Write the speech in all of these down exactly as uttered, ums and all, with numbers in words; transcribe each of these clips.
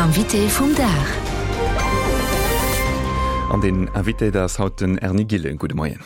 Invité vum Dag. An den Invité dat ass haut den Erny Gillen. Gudde Moien.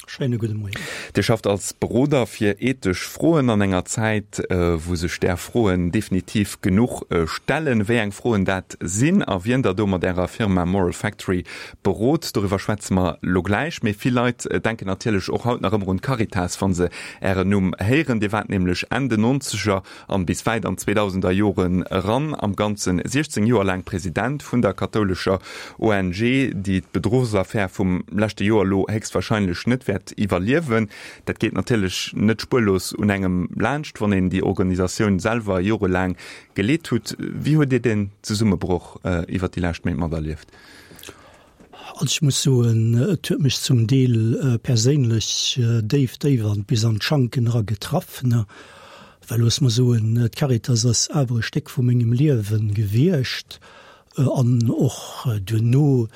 Schéine gudde Moien. Dir schafft als Beroder fir ethesch Froen an enger Zäit, wou sech där Froen definitiv genuch stellen. Wéi eng Froen dat sinn a wien der do mat Ärer Firma Moral Factory berot, doriwwer schwätze mer lo gläich. Mee vill Leit denken natierlech och haut nach ëmmer un d'Caritas, wa se Ären Numm héieren. Dir waart nämlech Enn den Nonzeger an bis wäit an d'Zweedausender Joren eran am Ganze siechzéng Joer laang President vun der kathoulescher O N G, déi d'Bedruchsaffär vum leschte Joer elo héchstwahrscheinlech net wäert iwwerliewen. Dat geet natierlech net spuerlos un engem laanscht, wann een déi Organisatioun selwer jorelaang geleet hutt. Wéi hutt Dir den Zesummebroch iwwer déi lescht Méint materlieft? Also ech muss soen, et huet mech zum Deel perséinlech déif, déif an bis an d'Schanken era getraff, ne, well looss mer soen, d'Caritas ass awer e Stéck vu mengem Liewen gewiescht an och duerno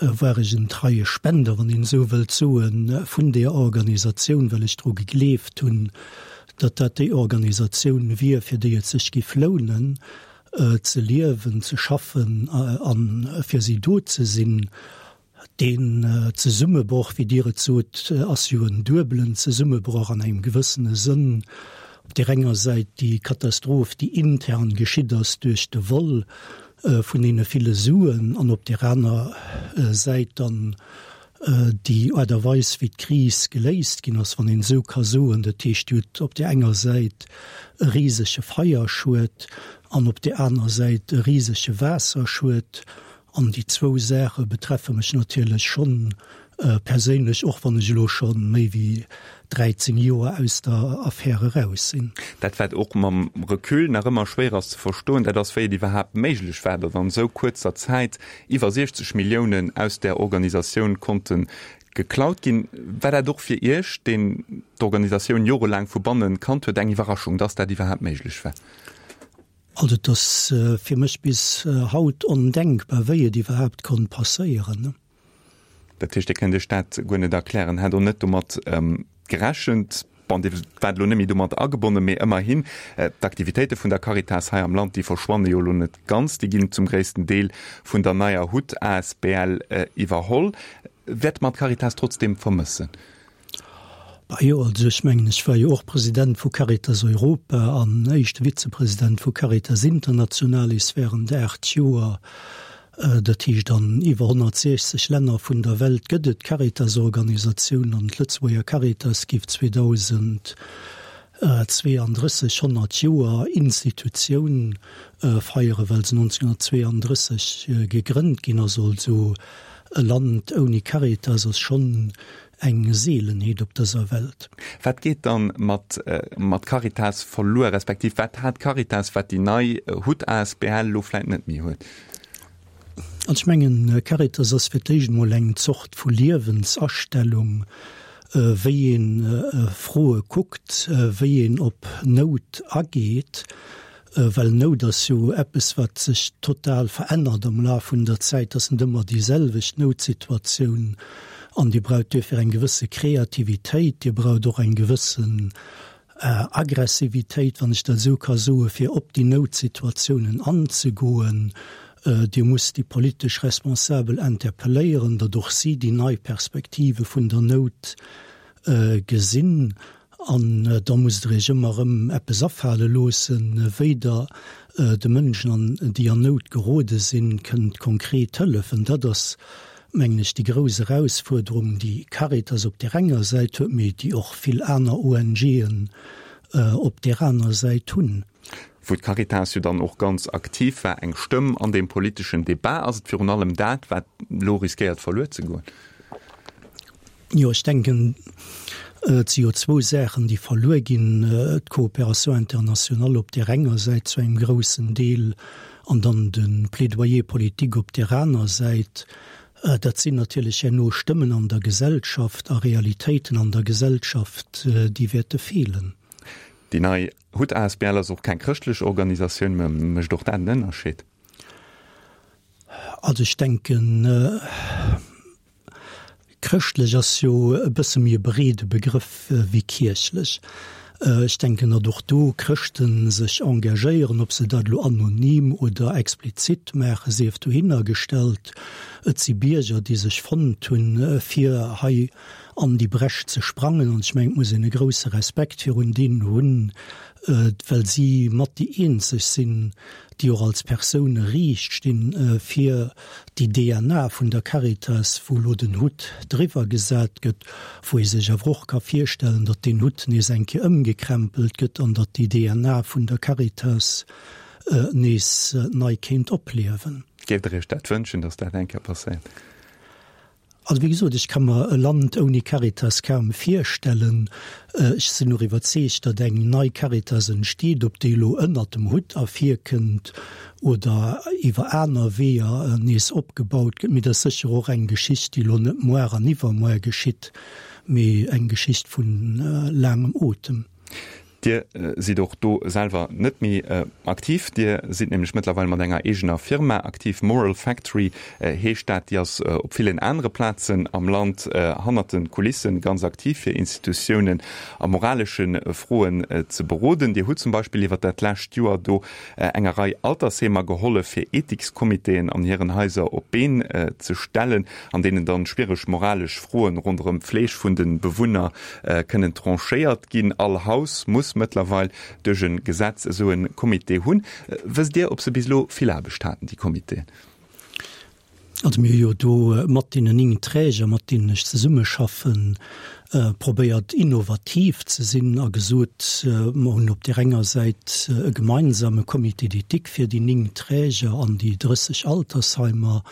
war ech en treie Spender, wann een esou wëllt soen, vun där Organisatioun, well ech dru gegleeft hunn, datt dat déi Organisatioun wier, fir déi et sech giff lounen ze liewen, ze schaffen a fir si do ze sinn. Deen Zesummebroch, wéi Dir et sot, ass jo en duebelen Zesummebroch an engem gewëssene Sënn. Op där enger Säit déi Katastroph, déi intern geschitt ass duerch de Vol vun deene ville Suen, an op där aner Säit dann déi Aart a Weis, wéi d'Kris geléist ginn ass, wann een esou ka soen. Dat heescht, Dir hutt op där enger Säit e risege Feierschued an op där aner Säit e risege Waasserschued. An déi zwou Saache betreffe mech natierlech schonn perséinlech, och wann ech elo scho méi wéi dräizéng Joer aus der Affär eraus sinn. Dat wat och mam Recul nach ëmmer schwéier ass ze verstoen, dat ass, wéi et iwwerhaapt méiglech war, datt an esou kuerzer Zäit iwwer siechzeg Milliounen aus där Organisatioun konnte geklaut ginn. War dat och fir Iech, deen d'Organisatioun jorelaang vu bannen kannt huet, eng Iwwerraschung, datt dat iwwerhaapt méiglech war? Also et ass fir mech bis haut ondenkbar, wéi et iwwerhaapt konnt passéieren. Dat heescht, Dir kënnt Iech dat guer net erklären, hätt och net domat gerechent. Bon, Dir waart elo net méi domat agebonnen, mee ëmmerhin, d'Aktivitéite vun der Caritas hei am Land, déi verschwanne jo elo net ganz, déi ginn zum gréissten Deel vun der neier Hut asbl iwwerholl. Wäert mer d'Caritas trotzdeem vermëssen? Bah jo, also ech mengen, ech war jo och President vu Caritas Europa an éischte Vizepresident vu Caritas Internationalis während aacht Joer. Dat heescht, an iwwer honnertsiechzeg Länner vun der Welt gëtt et Caritas-Organisatiounen an d'Lëtzebuerger Caritas giff zweedausendzweeandrësseg honnert Joer Institutioun feieren, well se nonzénhunnertzweeandrësseg gegrënnt ginn ass. Also e Land ouni Caritas ass schonn eng Seelenheet op dëser Welt. Wat geet dann mat mat Caritas verluer, respektiv wat hat Caritas, wat déi nei Hut asbl elo vläit net méi huet? Also ech mengen, Caritas ass fir d'éischt emol eng Zort vu Liewensastellung, wéi ee Froe kuckt, wéi een op Nout ageet, well Nout ass jo eppes, wat sech total verännert am Laf vun der Zäit, ass net ëmmer déi selwecht Noutsituatioun an Dir braucht duerfir eng gewësse Kreativitéit, Dir braucht och eng gewëssen Aggressivitéit, wann ech dat esou ka soen, fir op déi Noutsituatiounen anzegoen. Dir musst déi politesch Responsabel interpelléieren, datt och si déi nei Perspektive vun der Nout gesinn. An da musst Der Iech ëmmer erëm eppes afale loossen, wéi Der de Mënschen, déi an Nout gerode sinn, kënnt konkret hëllefen. Dat ass, mengen ech, déi grouss Erausfuerderung, déi Caritas op där enger Säit huet, mee déi och vill aner O N G'en op där aner Säit hunn. Wou d'Caritas jo dann och ganz aktiv war, eng Stëmm an deem politeschen Debat. Ass et virun allem dat, wat elo riskéiert verluer ze goen? Jo, ech denken, et si jo zwou Saachen, déi verluer ginn, d'Coopération internationale op där enger Säit zu engem groussen Deel an dann de Plaidoyer politique op där aner Säit. Dat sinn natierlech herno Stëmmen an der Gesellschaft a Realitéiten an der Gesellschaft, déi wäerte feelen. Déi nei Hut asbl ass och keng chrëschtlech Organisatioun, mä mécht och dat en Ënnerscheed? Also ech denken, chrëschtlech ass jo e bësse méi e breede Begrëff wéi kierchlech. Ech denken, datt och do Chrëschten sech engagéieren, ob se dat elo anonym oder explizit maachen, sief dohinner gestallt. Et si Bierger, déi sech fonnt hunn, fir hei an déi Bréch ze sprangen. An ech mengen, et muss een e grousse Respekt virun deenen hunn, well si mat déi eenzeg sinn, déi och als Persoune riicht stinn, fir déi D N A vun der Caritas, wou elo den Hutt driwwer gesat gëtt, wou ee sech awer och ka virstellen, datt deen Hutt nees eng Kéier ëmgekrempelt gëtt an datt déi D N A vun der Caritas nees nei kéint opliewen. Géift Der Iech dat wënschen, datt dat eng Kéier passéiert? Also wéi gesot, ech ka mer e Land ouni Caritas kaum virstellen. Ech sinn och iwwerzeegt, datt eng nei Caritas entsteet, ob déi elo ënnert dem Hutt ervirkënnt oder iwwer aner Weeër nees opgebaut gëtt. Mee dat ass sécher och eng Geschicht, déi elo net muer an iwwermuer geschitt, mee eng Geschicht vu laangem Otem. Dir sidd och do selwer net méi aktiv. Dir sidd nämlech mëttlerweil mat enger eegener Firma aktiv, Moral Factory heescht dat. Déi ass op villen anere Plazen am Land hannert de Kulissen ganz aktiv, fir Institutiounen a moralesche Froen ze beroden. Dir hutt zum Beispill iwwer dat lescht Joer do enger Rei Altersheemer gehollef, fir Ethikscomitéen an hiren Haiser op d'Been ze stellen, an deenen dann schwiereg moralesch Froen ronderëm d'Fleeg vun de Bewunner kënnen tranchéiert ginn. All Haus muss mëttlerweil duerch e Gesetz esou e Comité hunn. Wësst Dir, ob se bis elo vill Aarbecht haten, déi Comitéen? Also mir hu jo do mat deenen néng Träger, mat deenen ech zesummeschaffen, probéiert innovativ ze sinn a gesot, mer hunn op där enger Säit e gemeinsame Comité d'éthique fir déi néng Träger an déi drësseg Altersheimer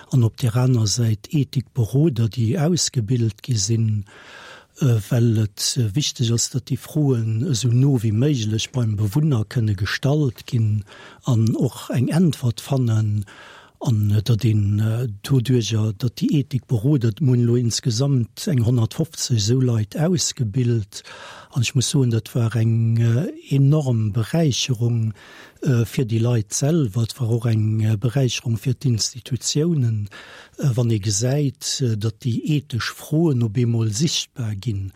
an op där aner Säit Ethikberoder, déi ausgebilt gi sinn, well et wichteg ass, datt déi Froen esou no wéi méiglech beim Bewunner kënne gestallt ginn an och eng Äntwert fannen, an datt een doduerjer, datt déi Ethikberoder, mir hunn elo insgesamt eng honnertfofzeg esou Leit ausgebilt, an ech muss soen, dat war eng enorm Beräicherung fir déi Leit selwer, et war och eng Beräicherung fir d'Institutiounen, wann ee gesäit, datt déi ethesch Froen op eemol sichtbar ginn.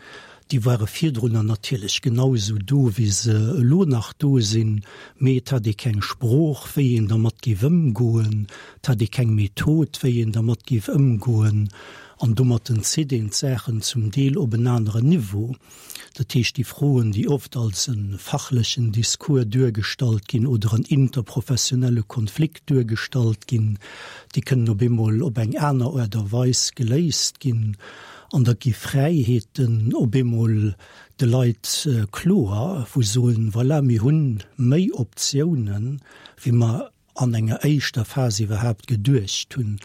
Déi ware virdrunner natierlech genau esou do, wéi se elo nach do sinn, mee et hat ee keng Sprooch, wéi een dermat géif ëmgoen, et hat ee keng Method, wéi een dermat géif ëmgoen, an domatten zitt een d'Saachen zum Deel op en aneren Niveau. Dat heescht, déi Froen, déi oft als e fachlechen Discours duergestallt ginn oder en interprofessionelle Konflikt duergestallt ginn, déi kënnen op eemol op eng aner Aart a Weis geléist ginn an da gi Fräiheeten op eemol de Leit kloer, wou se soen, voilà, mir hunn méi Optiounen, wéi mer an enger éischter Phas iwwerhaapt geduecht hunn.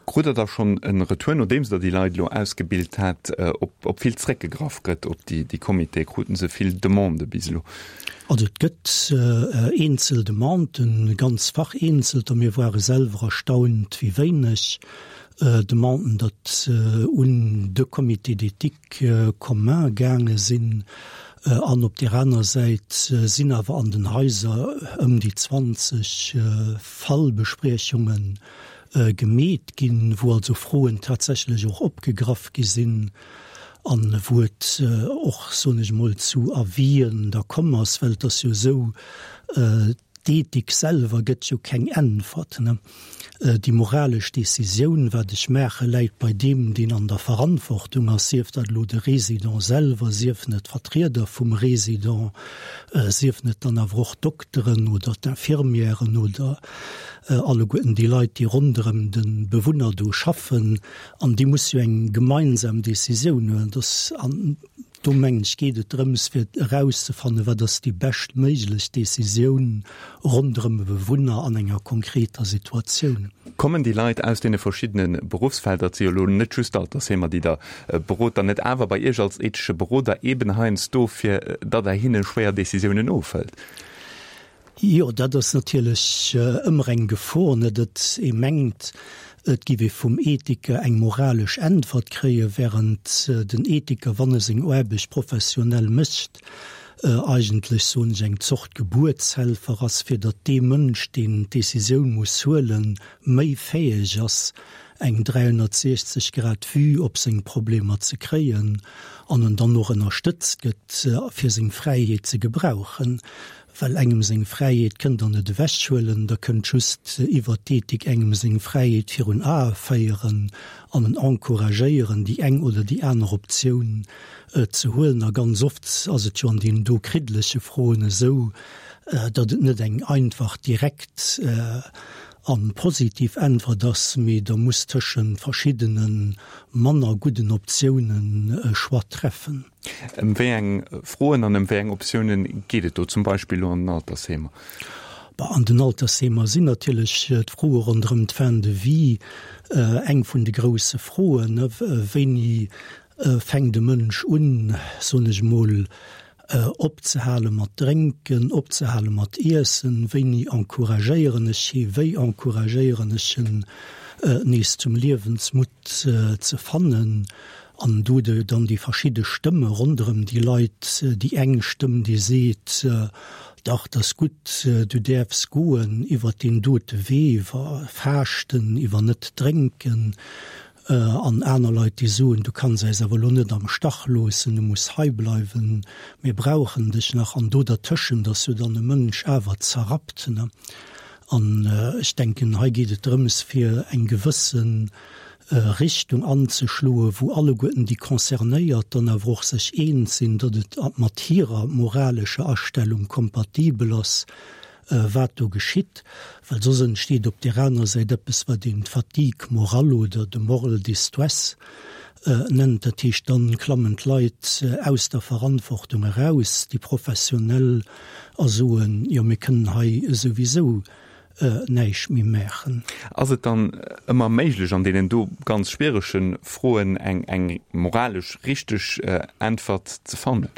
Krut Der da schonn e Retour, nodeems Der déi Leit elo ausgebilt hat, ob, ob vill zréckgegraff gëtt op déi, déi Comitéen? Kruten se vill Demandë bis elo? Also et gëtt eenzel Demanden, ganz vereenzelter. Mir ware selwer erstaunt, wéi wéineg Demanden datt un de Comité d'éthique commun gaange sinn. An op där aner Säit sinn awer an den Haiser ëm déi zwanzeg Fallbespriechunge gemeet ginn, wou also Froen tatsächlech och opgegraff gi sinn an wou et och, soen ech emol, zu Avisen da komm ass, well et ass jo esou, d'Ethik selwer gëtt jo keng Äntwert. Déi moralesch Decisioun, wat ech maachen, läit bei deem, deen an der Verantwortung ass, sief dat elo de Resident selwer, siefen et d'Vertrieder vum Resident, siefen et dann awer och d'Dokteren oder d'Infirmièren oder alleguerten déi Leit, déi ronderëm de Bewunner do schaffen. An déi musse jo eng gemeinsam Decisioun huelen. Dass an do mengen ech geet et drëms, fir erauszefannen, wat ass déi beschtméiglech Decisioun ronderëm e Bewunner an enger konkreter Situatioun. Kommen déi Leit aus deene verschiddene Beruffsfelder, et si jo elo net just d'Altersheemer, déi Der berot, dann net awer bei Iech als ethesche Beroder eben heiansdo, fir datt Der hinne schwéier Decisiounen ofhëlt? Jo, dat ass natierlech ëmmer eng Gefor, net, datt ee mengt, et giff ee vum Ethiker eng moralesch Äntwert kréien, während den Ethiker, wann e seng Aarbecht professionell mécht, eigentlech, soen ech, eng Zort Gebuertshelfer ass, fir datt dee Mënsch, deen d'Decisioun muss huelen, méi fäeg ass, eng dräihonnertsechzeg Grad Vue op seng Problemer ze kréien an en dann och ënnerstëtzt gëtt, fir seng Fräiheet ze gebrauchen. Well engem seng Fräiheet kënnt der net ewechhuelen, der kënnt just iwwert d'Ethik engem seng Fräiheet virun Ae féieren an en encouragéieren, déi eng oder déi aner Optioun ze huelen. A ganz oft ass et jo an deenen do kriddleche Froen esou, datt et net eng einfach, direkt a positiv Äntwert ass, mee der musst tëschent verschiddene manner gudden Optiounen e Choix treffen. Ëm wéi eng Froen an ëm wéi eng Optiounen geet et do zum Beispill elo an den Altersheemer? Bah, an den Altersheemer sinn natierlech d'Froe ronderëm d'Fin de vie eng vun de grousse Froen. Wéini fänkt e Mënsch un, soen ech emol, opzehale mat drénken, opzehale mat iessen, wéini encouragéieren ech hie, wéi encouragéieren ech en, nees zum Liewensmutt ze fannen, an do dann déi verschidde Stëmme ronderëm déi Leit, déi eng Stëmm, déi seet, dach, 't ass gutt, du däerfs goen iwwer deen dote Wee, iwwer Faaschten, iwwer net drénken, An aner Leit, déi soen, du kanns eis awer elo net am Stach loossen, du muss hei bleiwen, mir brauchen dech nach. An do dertëschent ass jo dann e Mënsch awer zerrappt. An ech denken, hei geet et drëms, fir eng gewësse Richtung anzeschloen, wou alleguerten déi Concernéiert dann awer och sech eens sinn, datt et mat hirer moralescher Astellung kompatibel ass, wat do geschitt, well soss entsteet op där aner Säit eppes, wat een d'Fatigue morale oder de moral distress nennt. Dat heescht, dann klammen d'Leit aus der Verantwortung eraus, déi Professionell, a soen, jo mir kënnen hei souwisou näischt méi maachen. Ass et dann ëmmer méiglech, an deenen do ganz schwierege Froen eng eng moralesch richteg Äntwert ze fannen?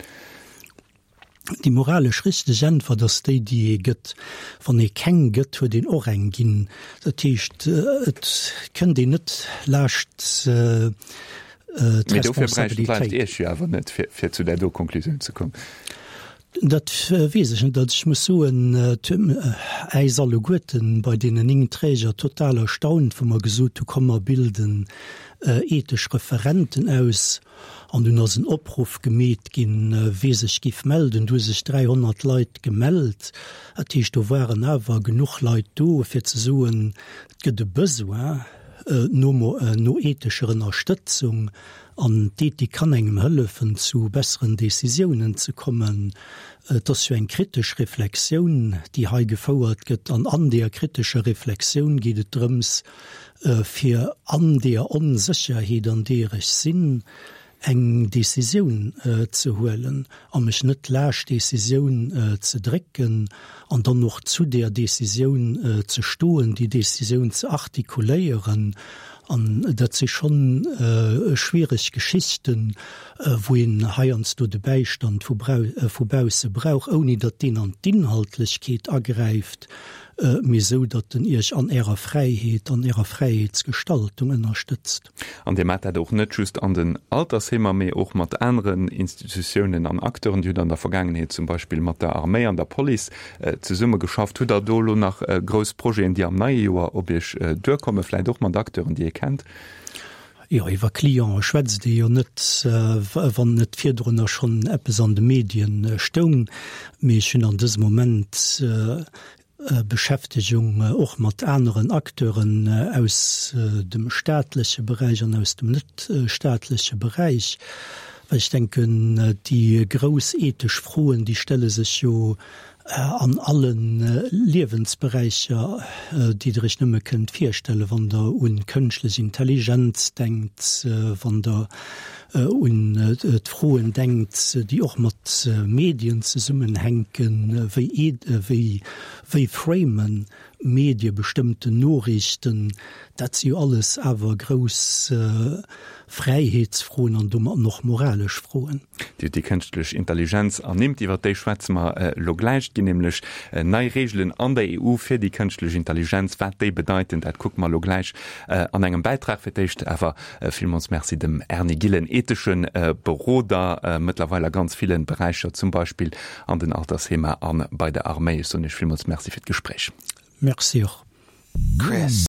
Déi moralesch richteg Äntwert ass déi, déi ee gëtt. Wann ee keng gëtt, huet een och eng ginn. Dat heescht, et kënnt een net laascht Mee dofir bräichten d'Leit d'Responsabilitéit. Iech jo awer net, fir zu där do Konklusioun ze kommen. Dat weess ech net. Also ech muss soen, et huet äis alleguerten bei deenen néng Träger total erstaunt, wou mer gesot hu komm mer bilden ethesch Referenten aus. An dunn ass en Opruff gemeet ginn, wee sech giff melden. Du hu sech dräihonnert Leit gemellt. Dat heescht, do waren awer genuch Leit do, fir ze soen, et gëtt e Besoin no ethescher Ënnerstëtzung. An d'Ethik kann engem hëllefen, zu besseren Decisiounen ze kommen. Et ass jo eng kritesch Reflexioun, déi hei gefouert gëtt. An an deeër kritescher Reflexioun geet et drëms, fir an deeër Onsécherheet, an deeër ech sinn, eng Decisioun ze huelen a mech net laascht Decisioun ze drécken an dann och zu deeër Decisioun ze stoen, déi Decisioun ze artikuléieren. An dat si schonn schwiereg Geschichten, wou een heiansdo de Bäistand vu vu bausse brauch, ouni datt deen an d'Inhaltlechkeet agräift, mee esou, datt en Iech an Ärer Fräiheet, an Ärer Fräiheetsgestaltung ënnerstëtzt. An Dir maacht dat och net just an den Altersheemer, mee och mat aneren Institutiounen an Acteuren. Dir hutt an der Vergaangenheet zum Beispill mat der Arméi an der Police zesummegeschafft. Hutt Der do elo nach grouss Projeten, déi am neie Joer op Iech duerkommen, vläicht och mat Acteuren, déi ee kennt? Jo, iwwer Clientë schwätzt ee jo net, wann net virdrunner schonn eppes an de Medien stoung. Mee ech hunn an dësem Moment Beschäftegung och mat aneren Acteuren aus dem staatleche Beräich an aus dem net staatleche Beräich, well ech denken, déi grouss ethesch Froen, déi stelle sech jo an alle Liewensberäicher, déi Der Iech nëmme kënnt virstellen, wann Der un kënschtlech Intelligenz denkt, wann Der un d'Froen denkt, déi och mat Medien zesummenhänken, wéi wéi framen Medie bestëmmten Noriichten, dat si jo alles awer grouss Fräiheetsfroen an domatten och moralesch Froen. Dir hutt déi kënschtlech Intelligenz ernimmt, iwwer déi schwätze mer elo gläich. Et ginn nämlech nei Reegelen an der E U fir déi kënschtlech Intelligenz. Wat déi bedeiten, dat kucke mer elo gläich an engem Bäitrag. Fir d'éischt awer villmools Merci dem Erny Gillen, ethesche Beroder, mëttlerweil a ganz ville Beräicher, zum Beispill an den Altersheemer a bei der Arméi. Ech soen Iech villmools Merci fir d'Gespréich. Merci och. Chris.